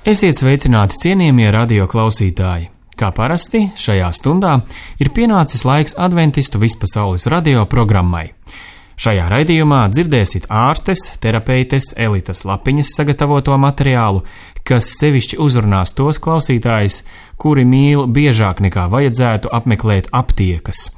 Esiet sveicināti, cienījamie radio klausītāji! Kā parasti, šajā stundā ir pienācis laiks adventistu vispasaules radio programmai. Šajā raidījumā dzirdēsiet ārstes, terapeites Elitas Lapiņas sagatavoto materiālu, kas sevišķi uzrunās tos klausītājus, kuri mīl biežāk nekā vajadzētu apmeklēt aptiekas,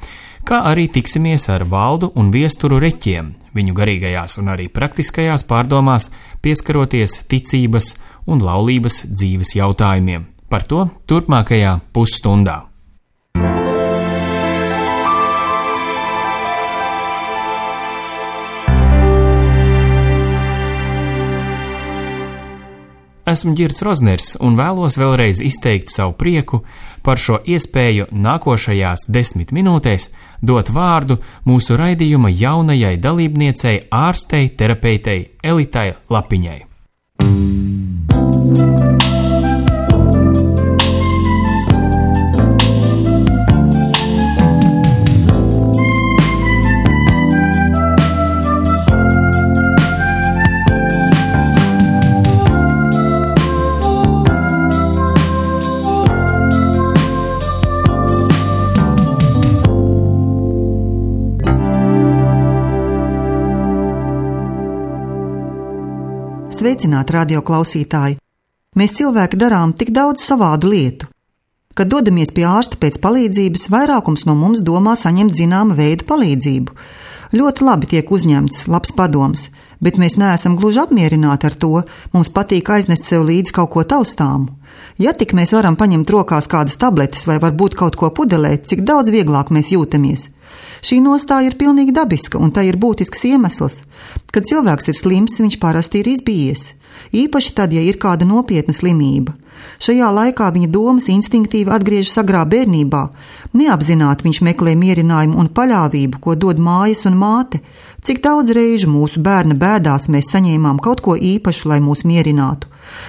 kā arī tiksimies ar Valdu un Viesturu Reķiem, viņu garīgajās un arī praktiskajās pārdomās pieskaroties ticības un laulības dzīves jautājumiem. Par to turpmākajā pusstundā. Esmu Ģirds Rozners un vēlos vēlreiz izteikt savu prieku par šo iespēju nākošajās 10 minūtēs dot vārdu mūsu raidījuma jaunajai dalībniecei ārstei terapeitei Elitai Lapiņai. Sveicināti, radio klausītāji! Mēs cilvēki darām tik daudz savādu lietu. Kad dodamies pie ārsta pēc palīdzības, vairākums no mums domā saņemt zināma veida palīdzību. Ļoti labi tiek uzņemts labs padoms, bet mēs neesam gluži apmierināti ar to, mums patīk aiznest sev līdzi kaut ko taustāmu. Ja tik mēs varam paņemt rokās kādas tabletes vai varbūt kaut ko pudelēt, cik daudz vieglāk mēs jūtamies. Šī nostāja ir pilnīgi dabiska, un tai ir būtisks iemesls. Kad cilvēks ir slims, viņš parasti ir izbijies. Īpaši tad, ja ir kāda nopietna slimība. Šajā laikā viņa domas instinktīvi atgriežas agrā bērnībā. Neapzināti viņš meklē mierinājumu un paļāvību, ko dod mājas un māte. Cik daudz reižu mūsu bērna bēdās mēs saņēmām kaut ko īpašu, lai mūs mierinātu.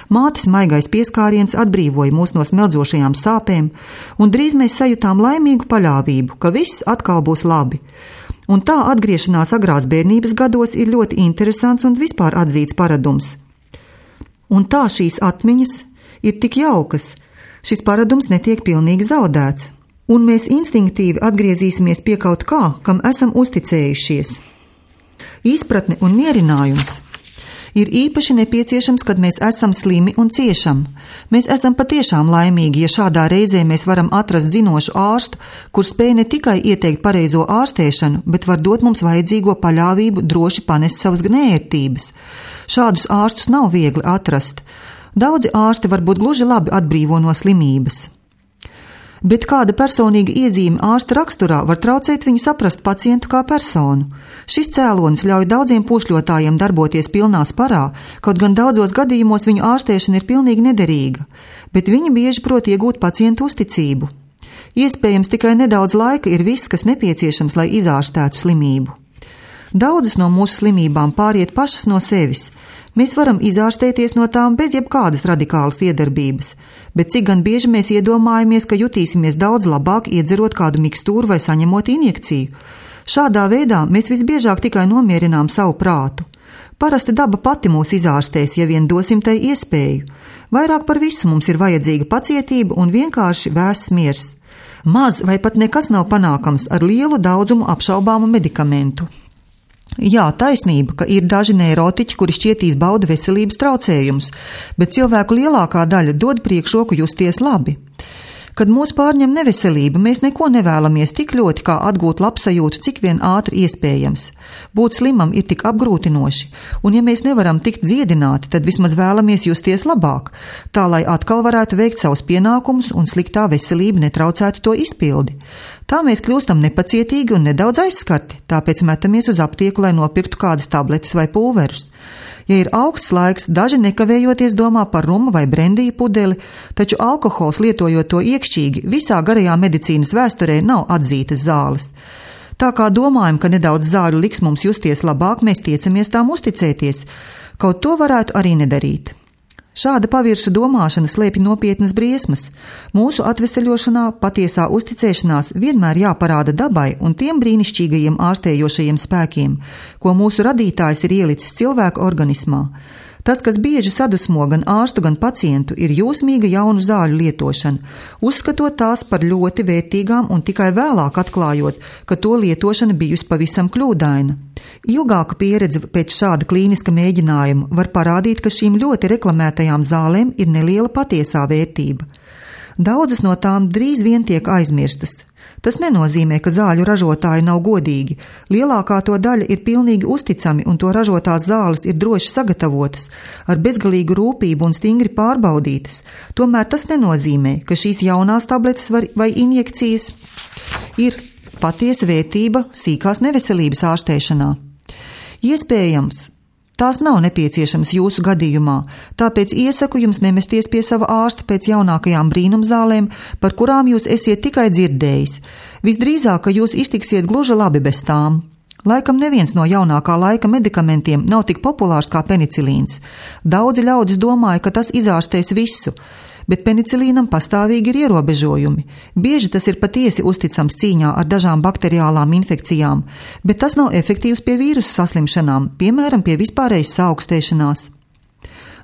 Mātes maigais pieskāriens atbrīvoja mūs no smeldzošajām sāpēm, un drīz mēs sajūtām laimīgu paļāvību, ka viss atkal būs labi. Un tā atgriešanās agrās bērnības gados ir ļoti interesants un vispār atzīts paradums. Un tā šīs atmiņas ir tik jaukas, šis paradums netiek pilnīgi zaudēts, un mēs instinktīvi atgriezīsimies pie kaut kā, kam esam uzticējušies. Izpratne un mierinājums ir īpaši nepieciešams, kad mēs esam slimi un ciešam. Mēs esam patiešām laimīgi, ja šādā reizē mēs varam atrast zinošu ārstu, kurš spēj ne tikai ieteikt pareizo ārstēšanu, bet var dot mums vajadzīgo paļāvību droši panest savas gnērtības. Šādus ārstus nav viegli atrast. Daudzi ārsti varbūt gluži labi atbrīvo no slimības. Bet kāda personīga iezīme ārsta raksturā var traucēt viņu saprast pacientu kā personu. Šis cēlonis ļauj daudziem pušļotājiem darboties pilnā sparā, kaut gan daudzos gadījumos viņu ārstēšana ir pilnīgi nederīga, bet viņi bieži prot iegūt pacientu uzticību. Iespējams, tikai nedaudz laika ir viss, kas nepieciešams, lai izārstētu slimību. Daudzas no mūsu slimībām pāriet pašas no sevis. Mēs varam izārstēties no tām bez jebkādas radikālas iedarbības, bet cik gan bieži mēs iedomājamies, ka jutīsimies daudz labāk iedzerot kādu mikstūru vai saņemot injekciju. Šādā veidā mēs visbiežāk tikai nomierinām savu prātu. Parasti daba pati mūs izārstēs, ja vien dosim tai iespēju. Vairāk par visu mums ir vajadzīga pacietība un vienkārši vēss miers. Maz vai pat nekas nav panākams ar lielu daudzumu apšaubāmu medikamentu. Jā, taisnība, ka ir daži neirotiķi, kuri šķietīs bauda veselības traucējumus, bet cilvēku lielākā daļa dod priekšroku justies labi. Kad mūs pārņem neveselība, mēs neko nevēlamies tik ļoti, kā atgūt labsajūtu, cik vien ātri iespējams. Būt slimam ir tik apgrūtinoši, un ja mēs nevaram tikt dziedināti, tad vismaz vēlamies justies labāk, tā lai atkal varētu veikt savus pienākumus un sliktā veselība netraucētu to izpildi. Tā mēs kļūstam nepacietīgi un nedaudz aizskarti, tāpēc metamies uz aptieku, lai nopirktu kādas tabletes vai pulverus. Ja ir augsts laiks, daži nekavējoties domā par rumu vai brendiju pudeli, taču alkohols, lietojot to iekšķīgi, visā garajā medicīnas vēsturē nav atzītas zāles. Tā kā domājam, ka nedaudz zāļu liks mums justies labāk, mēs tiecamies tām uzticēties. Kaut to varētu arī nedarīt. Šāda pavirša domāšana slēpj nopietnas briesmas. Mūsu atveseļošanā patiesā uzticēšanās vienmēr jāparāda dabai un tiem brīnišķīgajiem ārstējošajiem spēkiem, ko mūsu radītājs ir ielicis cilvēka organismā. Tas, kas bieži sadusmo gan ārstu, gan pacientu, ir jūsmīga jaunu zāļu lietošana, uzskatot tās par ļoti vērtīgām un tikai vēlāk atklājot, ka to lietošana bijusi pavisam kļūdaina. Ilgāka pieredze pēc šāda klīniska mēģinājuma var parādīt, ka šīm ļoti reklamētajām zālēm ir neliela patiesā vērtība. Daudzas no tām drīz vien tiek aizmirstas. Tas nenozīmē, ka zāļu ražotāji nav godīgi. Lielākā to daļa ir pilnīgi uzticami un to ražotās zāles ir droši sagatavotas, ar bezgalīgu rūpību un stingri pārbaudītas. Tomēr tas nenozīmē, ka šīs jaunās tabletes vai injekcijas ir patiesa vērtība sīkās neveselības ārstēšanā. Iespējams, tās nav nepieciešamas jūsu gadījumā, tāpēc iesaku jums nemesties pie sava ārsta pēc jaunākajām brīnumzālēm, par kurām jūs esiet tikai dzirdējis. Visdrīzāk, ka jūs iztiksiet gluži labi bez tām. Laikam neviens no jaunākā laika medikamentiem nav tik populārs kā penicilīns. Daudzi ļaudis domāja, ka tas izārstēs visu, bet penicilīnam pastāvīgi ir ierobežojumi. Bieži tas ir patiesi uzticams cīņā ar dažām bakteriālām infekcijām, bet tas nav efektīvs pie vīrusu saslimšanām, piemēram, pie vispārējas saaukstēšanās.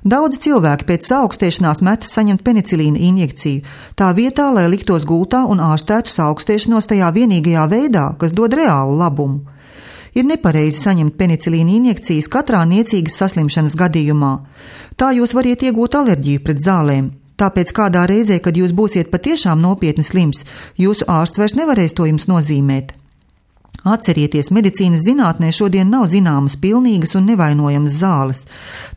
Daudzi cilvēki pēc saaukstēšanās metas saņemt penicilīna injekciju, tā vietā, lai liktos gultā un ārstētu saaukstēšanos tajā vienīgajā veidā, kas dod reālu labumu. Ir nepareizi saņemt penicilīna injekcijas katrā niecīgas saslimšanas gadījumā. Tā jūs variet iegūt alerģiju pret zālēm. Tāpēc kādā reizē, kad jūs būsiet patiešām nopietni slims, jūsu ārsts vairs nevarēs to jums nozīmēt. Atcerieties, medicīnas zinātnē šodien nav zināmas pilnīgas un nevainojamas zāles.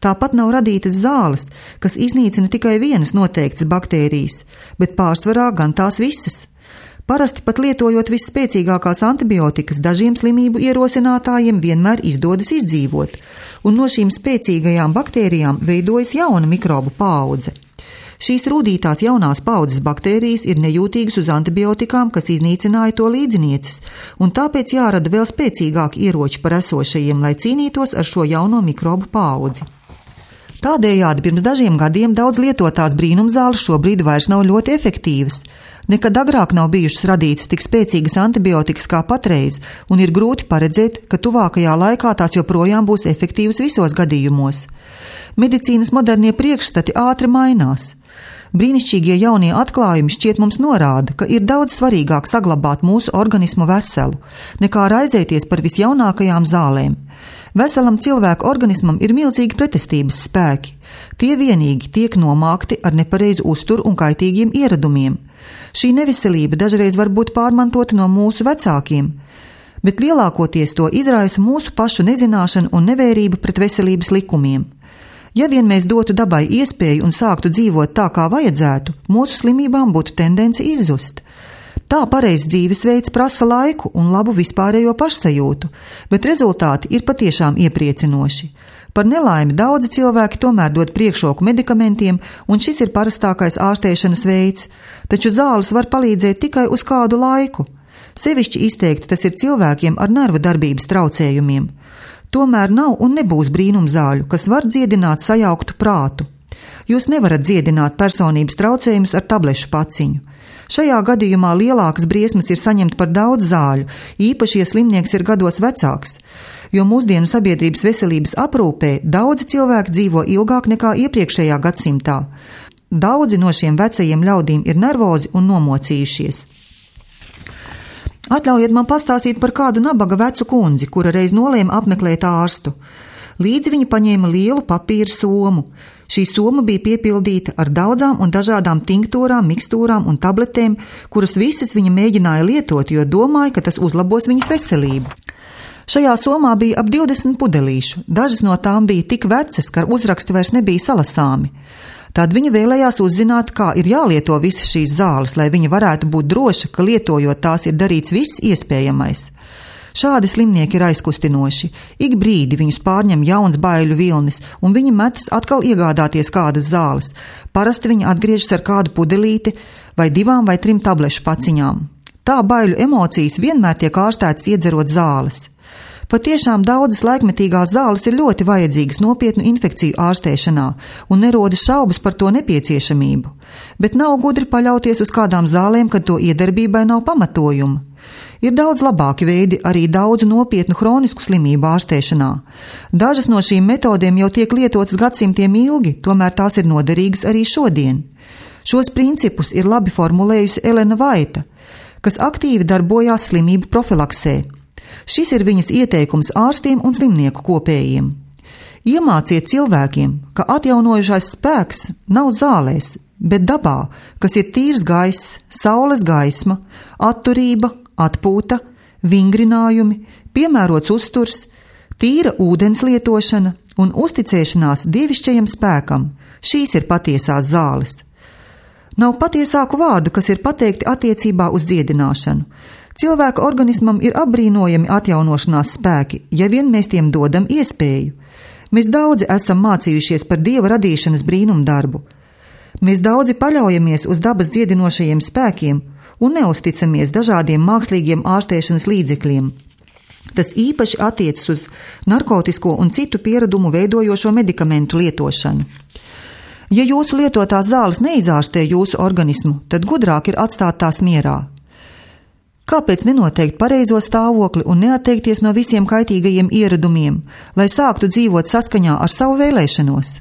Tāpat nav radītas zāles, kas iznīcina tikai vienas noteiktas baktērijas, bet pārsvarā gan tās visas. Parasti pat lietojot visspēcīgākās antibiotikas, dažiem slimību ierosinātājiem vienmēr izdodas izdzīvot, un no šīm spēcīgajām baktērijām veidojas jauna mikrobu paudze. Šīs rūdītās jaunās paudzes baktērijas ir nejūtīgas uz antibiotikām, kas iznīcināja to līdzinieces, un tāpēc jārada vēl spēcīgāki ieroči par esošajiem, lai cīnītos ar šo jauno mikrobu paudzi. Tādējādi pirms dažiem gadiem daudz lietotās brīnumzāles šobrīd vairs nav ļoti efektīvas. Nekad agrāk nav bijušas radītas tik spēcīgas antibiotikas kā patreiz, un ir grūti paredzēt, ka tuvākajā laikā tās joprojām būs efektīvas visos gadījumos. Medicīnas modernie priekšstati ātri mainās. Brīnišķīgie jaunie atklājumi šķiet mums norāda, ka ir daudz svarīgāk saglabāt mūsu organismu veselu, nekā raizēties par visjaunākajām zālēm. Veselam cilvēku organismam ir milzīgi pretestības spēki. Tie vienīgi tiek nomākti ar nepareizu uzturu un kaitīgiem ieradumiem. Šī neveselība dažreiz var būt pārmantota no mūsu vecākiem, bet lielākoties to izraisa mūsu pašu nezināšana un nevērība pret veselības likumiem. Ja vien mēs dotu dabai iespēju un sāktu dzīvot tā, kā vajadzētu, mūsu slimībām būtu tendence izzust. Tā pareizs dzīvesveids prasa laiku un labu vispārējo pašsajūtu, bet rezultāti ir patiešām iepriecinoši. Par nelaimi daudzi cilvēki tomēr dod priekšroku medikamentiem, un šis ir parastākais ārstēšanas veids, taču zāles var palīdzēt tikai uz kādu laiku. Sevišķi izteikti tas ir cilvēkiem ar nervu darbības traucējumiem. Tomēr nav un nebūs brīnumzāļu, kas var dziedināt sajauktu prātu. Jūs nevarat dziedināt personības traucējumus ar tablešu paciņu. Šajā gadījumā lielākas briesmas ir saņemt par daudz zāļu, īpaši, ja slimnieks ir gados vecāks, jo mūsdienu sabiedrības veselības aprūpē daudzi cilvēki dzīvo ilgāk nekā iepriekšējā gadsimtā. Daudzi no šiem vecajiem ļaudīm ir nervozi un nomocījušies. Atļaujiet man pastāstīt par kādu nabaga vecu kundzi, kura reiz nolēma apmeklēt ārstu. Līdzi viņa paņēma lielu papīra somu. Šī soma bija piepildīta ar daudzām un dažādām tinktūrām, mikstūrām un tabletēm, kuras visas viņa mēģināja lietot, jo domāja, ka tas uzlabos viņas veselību. Šajā somā bija ap 20 pudelīšu, dažas no tām bija tik vecas, ka uzraksti vairs nebija salasāmi. Tad viņa vēlējās uzzināt, kā ir jālieto visas šīs zāles, lai viņa varētu būt droša, ka lietojot tās ir darīts viss iespējamais. Šādi slimnieki ir aizkustinoši. Ik brīdi viņus pārņem jauns baiļu vilnis, un viņi metas atkal iegādāties kādas zāles. Parasti viņi atgriežas ar kādu pudelīti vai 2 vai 3 tablešu paciņām. Tā baiļu emocijas vienmēr tiek ārstētas iedzerot zāles. Patiešām daudzas laikmetīgās zāles ir ļoti vajadzīgas nopietnu infekciju ārstēšanā, un nerodas šaubas par to nepieciešamību. Bet nav gudri paļauties uz kādām zālēm, kad to iedarbībai nav pamatojuma. Ir daudz labāki veidi arī daudzu nopietnu hronisku slimību ārstēšanā. Dažas no šīm metodēm jau tiek lietotas gadsimtiem ilgi, tomēr tās ir noderīgas arī šodien. Šos principus ir labi formulējusi Elena Vaita, kas aktīvi darbojās slimību profilaksē. Šis ir viņas ieteikums ārstiem un slimnieku kopējiem. Iemāciet cilvēkiem, ka atjaunojušais spēks nav zālēs, bet dabā, kas ir tīrs gaiss, saules gaisma, atturība, atpūta, vingrinājumi, piemērots uzturs, tīra ūdens lietošana un uzticēšanās dievišķajam spēkam. Šīs ir patiesās zāles. Nav patiesāku vārdu, kas ir pateikti attiecībā uz dziedināšanu. Cilvēka organismam ir apbrīnojami atjaunošanās spēki, ja vien mēs tiem dodam iespēju. Mēs daudzi esam mācījušies par Dieva radīšanas brīnumdarbu. Mēs daudzi paļaujamies uz dabas dziedinošajiem spēkiem un neusticamies dažādiem mākslīgiem ārstēšanas līdzekļiem. Tas īpaši attiecas uz narkotisko un citu pieradumu veidojošo medikamentu lietošanu. Ja jūsu lietotās zāles neizārstē jūsu organismu, tad gudrāk ir atstāt tās mierā. Kāpēc nenoteikt pareizo stāvokli un neatteikties no visiem kaitīgajiem ieradumiem, lai sāktu dzīvot saskaņā ar savu vēlēšanos?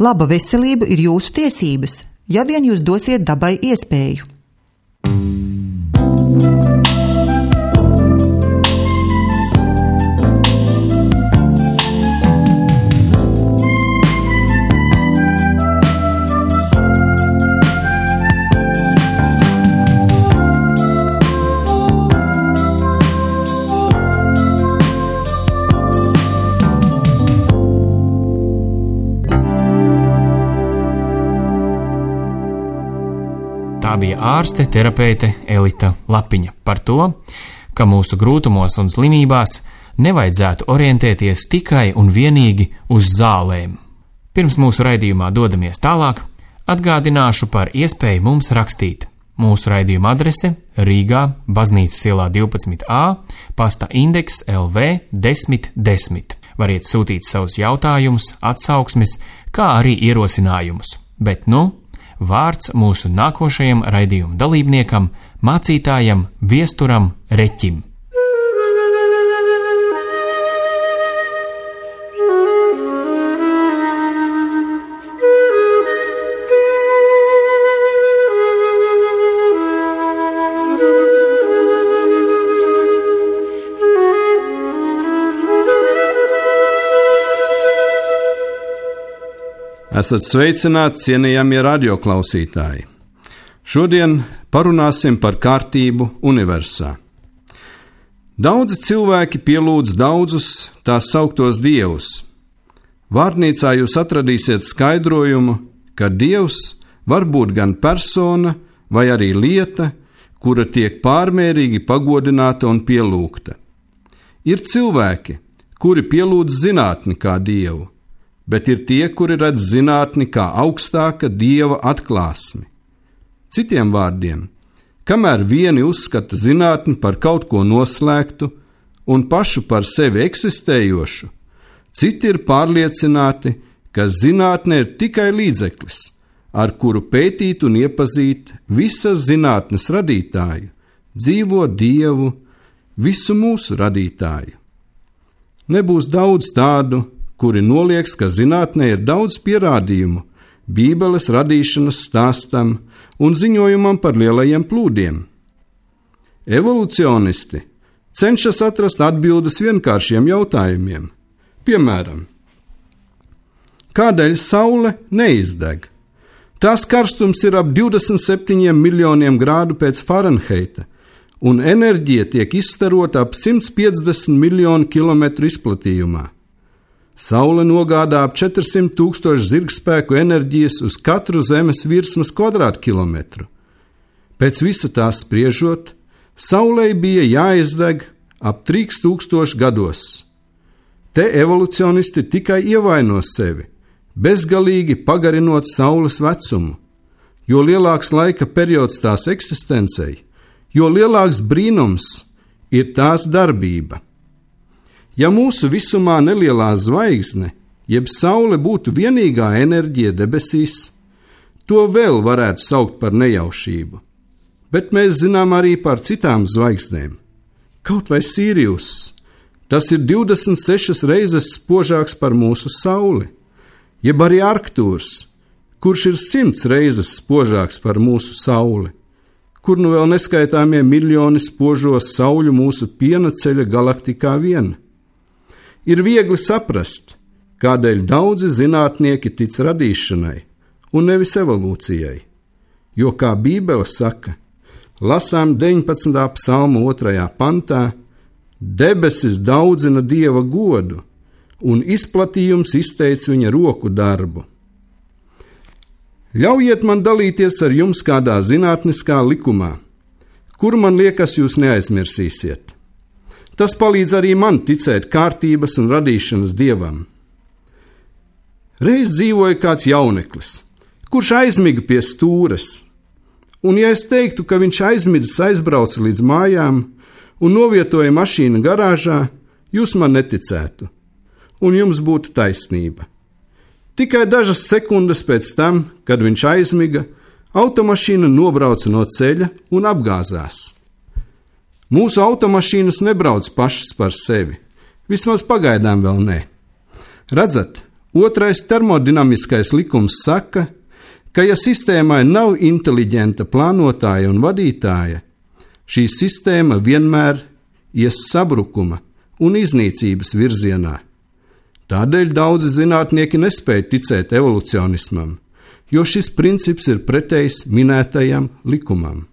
Laba veselība ir jūsu tiesības, ja vien jūs dosiet dabai iespēju. Tā bija ārste terapeite Elita Lapiņa par to, ka mūsu grūtumos un slimībās nevajadzētu orientēties tikai un vienīgi uz zālēm. Pirms mūsu raidījumā dodamies tālāk, atgādināšu par iespēju mums rakstīt. Mūsu raidījuma adrese Rīgā, Baznīcas ielā 12A, pasta indeks LV 1010. Variet sūtīt savus jautājumus, atsauksmes, kā arī ierosinājumus. Bet vārds mūsu nākošajam raidījuma dalībniekam, mācītājam Viesturam Reķim. Esat sveicināti, cienījamie radioklausītāji! Šodien parunāsim par kārtību universā. Daudzi cilvēki pielūdz daudzus tā sauktos dievus. Vārnīcā jūs atradīsiet skaidrojumu, ka dievs var būt gan persona vai arī lieta, kura tiek pārmērīgi pagodināta un pielūgta. Ir cilvēki, kuri pielūdz zinātni kā dievu, bet ir tie, kuri redz zinātni kā augstāka dieva atklāsmi. Citiem vārdiem, kamēr vieni uzskata zinātni par kaut ko noslēgtu un pašu par sevi eksistējošu, citi ir pārliecināti, ka zinātne ir tikai līdzeklis, ar kuru pētīt un iepazīt visas zinātnes radītāju, dzīvo dievu, visu mūsu radītāju. Nebūs daudz tādu, kuri nolieks, ka zinātnē ir daudz pierādījumu Bībeles radīšanas stāstam un ziņojumam par lielajiem plūdiem. Evolucionisti cenšas atrast atbildes vienkāršiem jautājumiem. Piemēram, kādēļ saule neizdeg? Tās karstums ir ap 27 miljoniem grādu pēc Fahrenheita, un enerģija tiek izstarota ap 150 miljonu kilometru izplatījumā. Saule nogādā ap 400 000 zirgspēku enerģijas uz katru Zemes virsmas kvadrātkilometru. Pēc visa tā spriežot, Saulei bija jāizdeg ap 3000 gados. Te evolucionisti tikai ievaino sevi, bezgalīgi pagarinot Saules vecumu. Jo lielāks laika periods tās eksistencei, jo lielāks brīnums ir tās darbība. Ja mūsu visumā nelielā zvaigzne, jeb saule būtu vienīgā enerģija debesīs, to vēl varētu saukt par nejaušību. Bet mēs zinām arī par citām zvaigznēm. Kaut vai Sīrijus, tas ir 26 reizes spožāks par mūsu sauli, jeb arī Arktūrs, kurš ir 100 reizes spožāks par mūsu sauli, kur nu vēl neskaitāmie miljoni spožo sauļu mūsu piena ceļa galaktikā vien. Ir viegli saprast, kādēļ daudzi zinātnieki tic radīšanai un nevis evolūcijai, jo, kā Bībele saka, lasām 19. psalma 2. pantā, debesis daudzina Dieva godu, un izplatījums izteica viņa roku darbu. Ļaujiet man dalīties ar jums kādā zinātniskā likumā, kur man liekas jūs neaizmirsīsiet. Tas palīdz arī man ticēt kārtības un radīšanas Dievam. Reiz dzīvoja kāds jauneklis, kurš aizmiga pie stūres, un ja es teiktu, ka viņš aizmidzis aizbrauca līdz mājām un novietoja mašīnu garāžā, jūs man neticētu, un jums būtu taisnība. Tikai dažas sekundes pēc tam, kad viņš aizmiga, automašīna nobrauca no ceļa un apgāzās. Mūsu automašīnas nebrauc pašas par sevi, vismaz pagaidām vēl ne. Redzat, otrais termodinamiskais likums saka, ka ja sistēmai nav inteliģenta plānotāja un vadītāja, šī sistēma vienmēr ies sabrukuma un iznīcības virzienā. Tādēļ daudzi zinātnieki nespēja ticēt evolucionismam, jo šis princips ir pretējs minētajam likumam.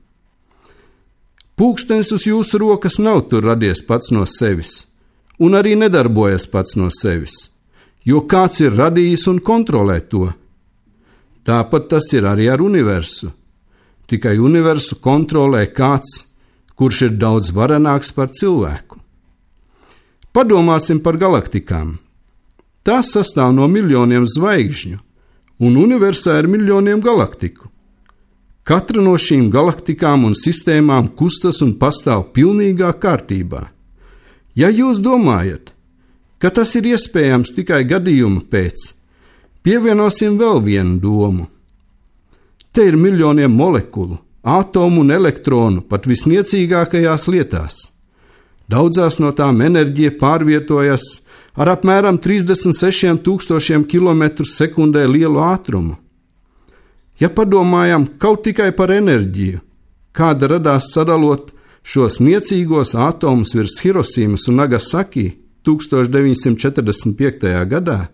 Pūkstens uz jūsu rokas nav tur radies pats no sevis, un arī nedarbojas pats no sevis, jo kāds ir radījis un kontrolē to. Tāpat tas ir arī ar universu. Tikai universu kontrolē kāds, kurš ir daudz varenāks par cilvēku. Padomāsim par galaktikām. Tās sastāv no miljoniem zvaigžņu, un universā ir miljoniem galaktiku. Katra no šīm galaktikām un sistēmām kustas un pastāv pilnīgā kārtībā. Ja jūs domājat, ka tas ir iespējams tikai gadījuma pēc, pievienosim vēl vienu domu. Te ir miljoniem molekulu, atomu un elektronu pat visniecīgākajās lietās. Daudzās no tām enerģija pārvietojas ar apmēram 36,000 km/sekundē lielu ātrumu. Ja padomājam kaut tikai par enerģiju, kāda radās sadalot šos niecīgos atomus virs Hirosīmas un Nagasaki 1945. gadā,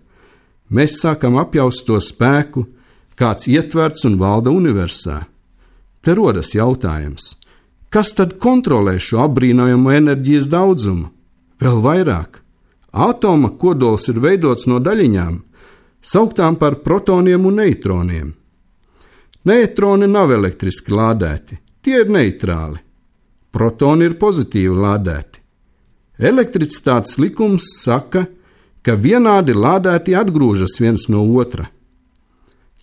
mēs sākam apjaust to spēku, kāds ietverts un valda universā. Te rodas jautājums, kas tad kontrolē šo apbrīnojamo enerģijas daudzumu? Vēl vairāk, atoma kodols ir veidots no daļiņām, sauktām par protoniem un neitroniem. Neitroni nav elektriski lādēti, tie ir neitrāli. Protoni ir pozitīvi lādēti. Elektricitātes likums saka, ka vienādi lādēti atgrūžas viens no otra.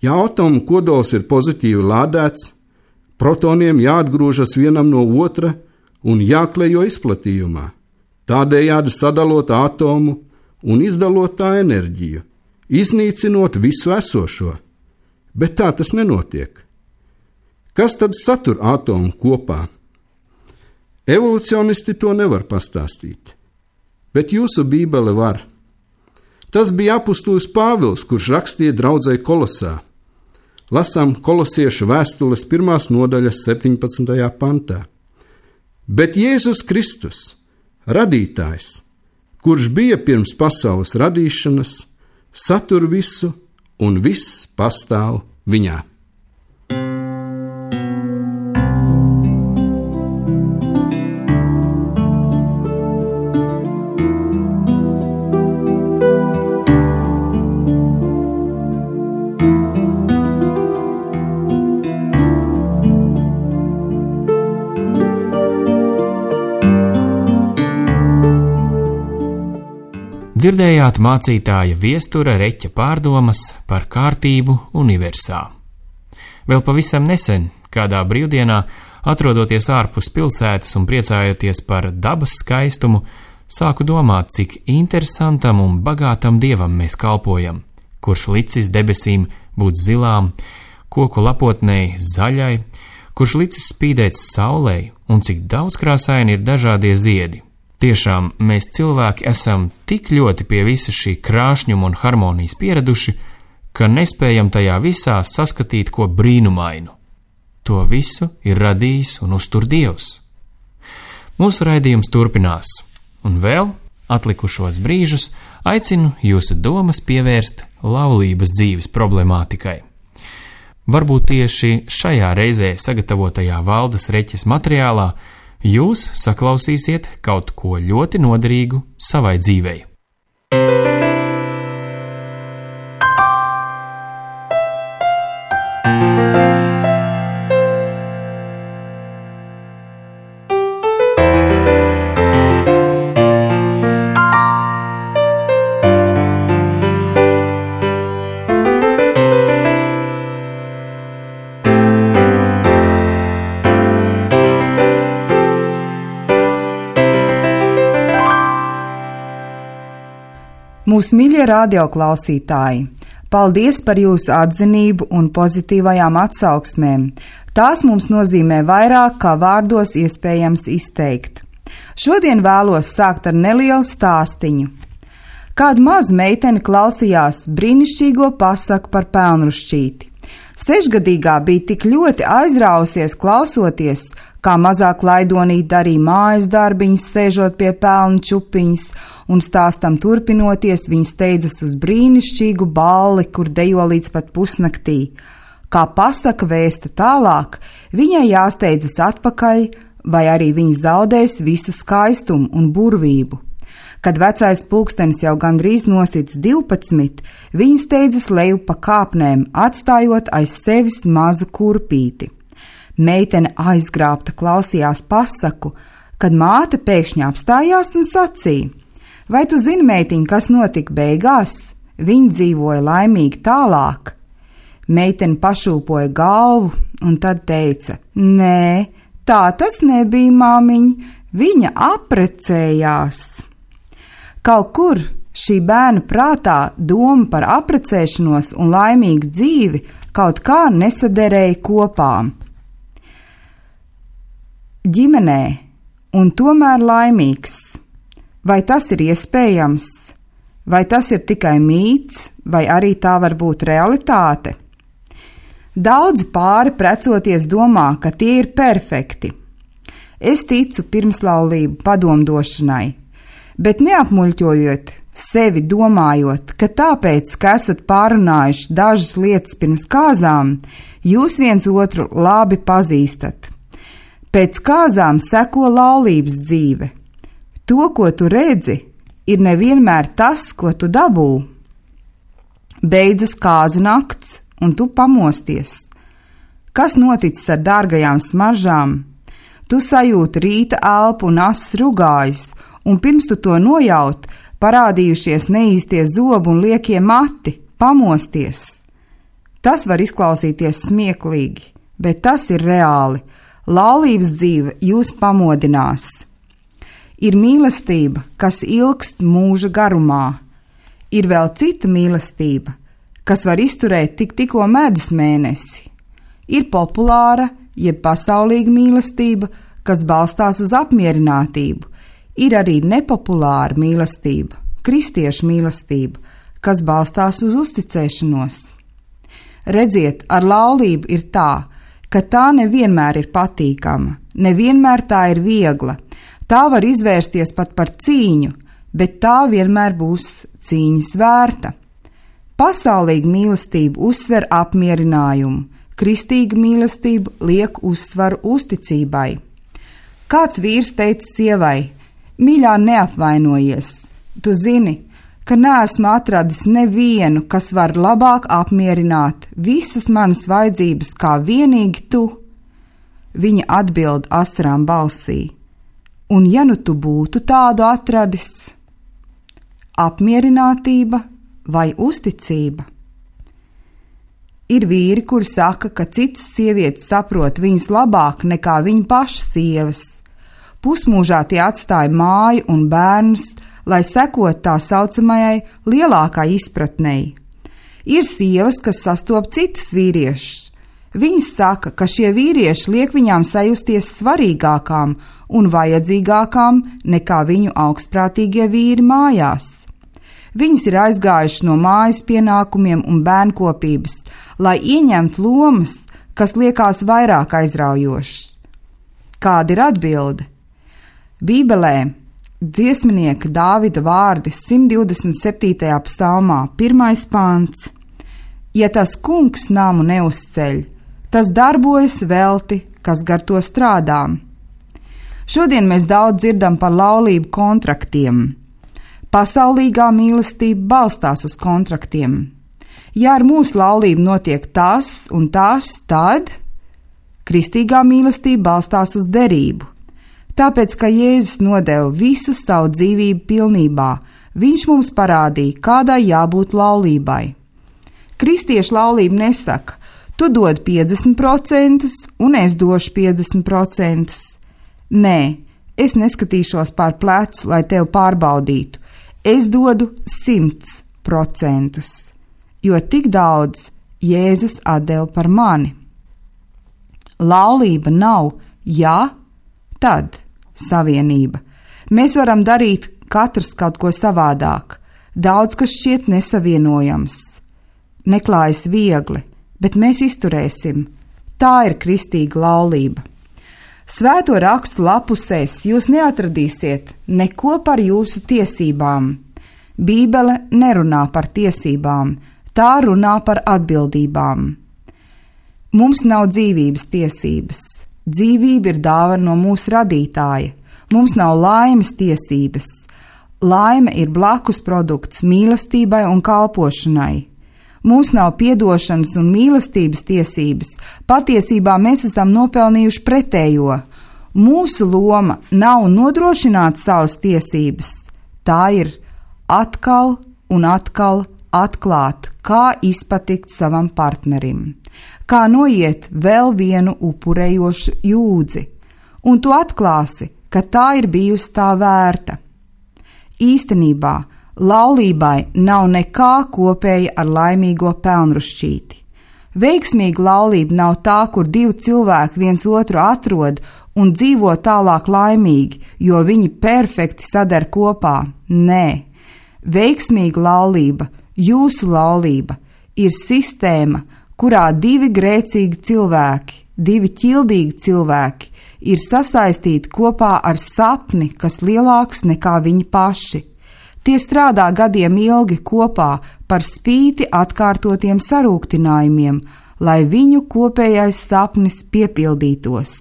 Ja atomu kodols ir pozitīvi lādēts, protoniem jāatgrūžas vienam no otra un jāklejo izplatījumā, tādējādi sadalot atomu un izdalot tā enerģiju, iznīcinot visu esošo, bet tā tas nenotiek. Kas tad satur atomu kopā? Evolucionisti to nevar pastāstīt, bet jūsu Bībele var. Tas bija apustulis Pāvils, kurš rakstīja draudzei Kolosā. Lasām Kolosiešu vēstules 1. nodaļas 17. pantā. Bet Jēzus Kristus, radītājs, kurš bija pirms pasaules radīšanas, satur visu un viss pastāv viņā. Dzirdējāt mācītāja Viestura Reķa pārdomas par kārtību universā. Vēl pavisam nesen, kādā brīvdienā, atrodoties ārpus pilsētas un priecājoties par dabas skaistumu, sāku domāt, cik interesantam un bagātam dievam mēs kalpojam, kurš licis debesīm būt zilām, koku lapotnei zaļai, kurš licis spīdēt saulei un cik daudzkrāsaini ir dažādie ziedi, Tiešām mēs cilvēki esam tik ļoti pie visa šī krāšņuma un harmonijas pieraduši, ka nespējam tajā visā saskatīt ko brīnumainu. To visu ir radījis un uztur Dievs. Mūsu raidījums turpinās, un vēl atlikušos brīžus aicinu jūsu domas pievērst laulības dzīves problemātikai. Varbūt tieši šajā reizē sagatavotajā Valdes Reķes materiālā jūs saklausīsiet kaut ko ļoti noderīgu savai dzīvei. Mūsu mīļie radioklausītāji, paldies par jūsu atzinību un pozitīvajām atsauksmēm. Tās mums nozīmē vairāk, kā vārdos iespējams izteikt. Šodien vēlos sākt ar nelielu stāstiņu. Kāda maza meitene klausījās brīnišķīgo pasaku par pelnrušķīti. 6-gadīgā bija tik ļoti aizrausies klausoties, kā mazā klaidonīte darīja mājas darbiņus, sēžot pie pelnu čupiņas, un stāstam turpinoties, viņa steidzas uz brīnišķīgu balli, kur dejo līdz pat pusnaktī. Kā pasaka vēsta tālāk, viņai jāsteidzas atpakaļ, vai arī viņa zaudēs visu skaistumu un burvību. Kad vecais pulkstenis jau gandrīz nosits 12, viņa steidzas leju pa kāpnēm, atstājot aiz sevis mazu kurpīti. Meitene aizgrābta klausījās pasaku, kad māte pēkšņi apstājās un sacīja: vai tu zini, meitiņ, kas notika beigās? Viņa dzīvoja laimīgi tālāk. Meitene pašūpoja galvu un tad teica: nē, tā tas nebija, māmiņ, viņa apprecējās. Kaut kur šī bērna prātā doma par apprecēšanos un laimīgu dzīvi kaut kā nesaderēja kopā. Ģimenē un tomēr laimīgs. Vai tas ir iespējams? Vai tas ir tikai mīts, vai arī tā var būt realitāte? Daudzi pāri precoties domā, ka tie ir perfekti. Es ticu pirmslaulību padomdošanai, bet neapmuļķojot sevi domājot, ka tāpēc, ka esat pārunājuši dažas lietas pirms kāzām, jūs viens otru labi pazīstat. Pēc kāzām seko laulības dzīve. To, ko tu redzi, ir nevienmēr tas, ko tu dabū. Beidzas kāzu nakts, un tu pamosties. Kas noticis ar dārgajām smaržām? Tu sajūti rīta elpu un asas rugājus, un pirms tu to nojaut, parādījušies neīstie zobi un liekie mati, pamosties. Tas var izklausīties smieklīgi, bet tas ir reāli. Laulības dzīve jūs pamodinās. Ir mīlestība, kas ilgst mūža garumā. Ir vēl cita mīlestība, kas var izturēt tikko medus mēnesi. Ir populāra, jeb pasaulīga mīlestība, kas balstās uz apmierinātību. Ir arī nepopulāra mīlestība, kristiešu mīlestība, kas balstās uz uzticēšanos. Redziet, ar laulību ir tā, ka tā nevienmēr ir patīkama, nevienmēr tā ir viegla. Tā var izvērsties pat par cīņu, bet tā vienmēr būs cīņas vērta. Pasaulīga mīlestība uzsver apmierinājumu, kristīga mīlestība liek uzsvaru uzticībai. Kāds vīrs teica sievai: mīļā, neapvainojies, tu zini, ka neesmu atradis nevienu, kas var labāk apmierināt visas manas vajadzības kā vienīgi tu. Viņa atbild asarām balsī: un ja nu tu būtu tādu atradis? Apmierinātība vai uzticība? Ir vīri, kuri saka, ka citas sievietes saprot viņus labāk nekā viņa pašas sievas. Pusmūžā tie atstāja māju un bērnus, lai sekot tā saucamajai lielākai izpratnei. Ir sievas, kas sastop citus vīriešus. Viņas saka, ka šie vīrieši liek viņām sajusties svarīgākām un vajadzīgākām nekā viņu augstprātīgie vīri mājās. Viņas ir aizgājušas no mājas pienākumiem un bērnkopības, lai ieņemtu lomas, kas liekas vairāk aizraujošas. Kāda ir atbilde? Bībelē dziesminieka Dāvida vārdi 127. psalmā, 1. pants. Ja tas kungs namu neuzceļ, tas darbojas velti, kas gar to strādā. Šodien mēs daudz dzirdam par laulību kontraktiem. Pasaulīgā mīlestība balstās uz kontraktiem. Ja ar mūsu laulību notiek tas un tas, tad kristīgā mīlestība balstās uz derību. Tāpēc, ka Jēzus nodeva visu savu dzīvību pilnībā, viņš mums parādīja, kādai jābūt laulībai. Kristiešu laulība nesaka, tu dod 50% un es došu 50%. Nē, es neskatīšos pār plecu, lai tevi pārbaudītu. Es dodu 100%, jo tik daudz Jēzus atdeva par mani. Laulība nav ja, tad savienība. Mēs varam darīt katrs kaut ko savādāk. Daudz, kas šķiet nesavienojams. Neklājas viegli, bet mēs izturēsim. Tā ir kristīga laulība. Svēto rakstu lapusēs jūs neatradīsiet neko par jūsu tiesībām. Bībele nerunā par tiesībām, tā runā par atbildībām. Mums nav dzīvības tiesības. Dzīvība ir dāvana no mūsu radītāja. Mums nav laimes tiesības. Laime ir blakus produkts mīlestībai un kalpošanai. Mums nav piedošanas un mīlestības tiesības. Patiesībā mēs esam nopelnījuši pretējo. Mūsu loma nav nodrošināt savas tiesības. Tā ir atkal un atkal atklāt, kā izpatikt savam partnerim, kā noiet vēl vienu upurējošu jūdzi, un tu atklāsi, ka tā ir bijusi tā vērta. Īstenībā laulībai nav nekā kopēja ar laimīgo pelnrušķīti. Veiksmīga laulība nav tā, kur divi cilvēki viens otru atrod un dzīvo tālāk laimīgi, jo viņi perfekti sadar kopā. Nē, veiksmīga laulība, jūsu laulība, ir sistēma, kurā divi grēcīgi cilvēki, divi ķildīgi cilvēki ir sasaistīti kopā ar sapni, kas lielāks nekā viņi paši. Tie strādā gadiem ilgi kopā par spīti atkārtotiem sarūktinājumiem, lai viņu kopējais sapnis piepildītos.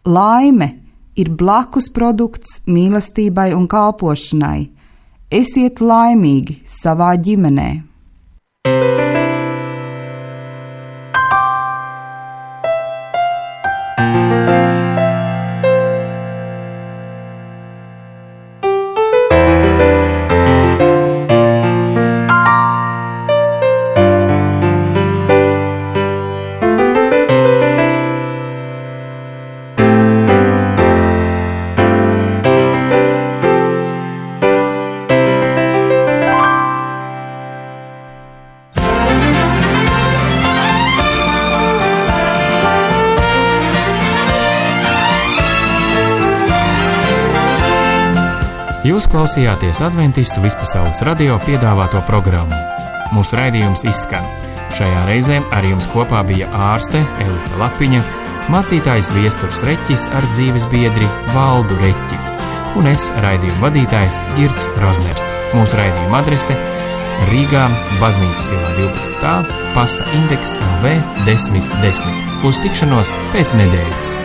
Laime ir blakus produkts mīlestībai un kalpošanai. Esiet laimīgi savā ģimenē. Jūs klausījāties Adventistu Vispasaules radio piedāvāto programmu. Mūsu raidījums izskan. Šajā reizē ar jums kopā bija ārste Elita Lapiņa, mācītājs Viesturs Reķis ar dzīves biedri Valdu Reķi un es, raidījuma vadītājs Girts Rozners. Mūsu raidījuma adrese Rīgā, Baznīcas ielā 12. pasta indeks LV 1010. Uz tikšanos pēc nedēļas!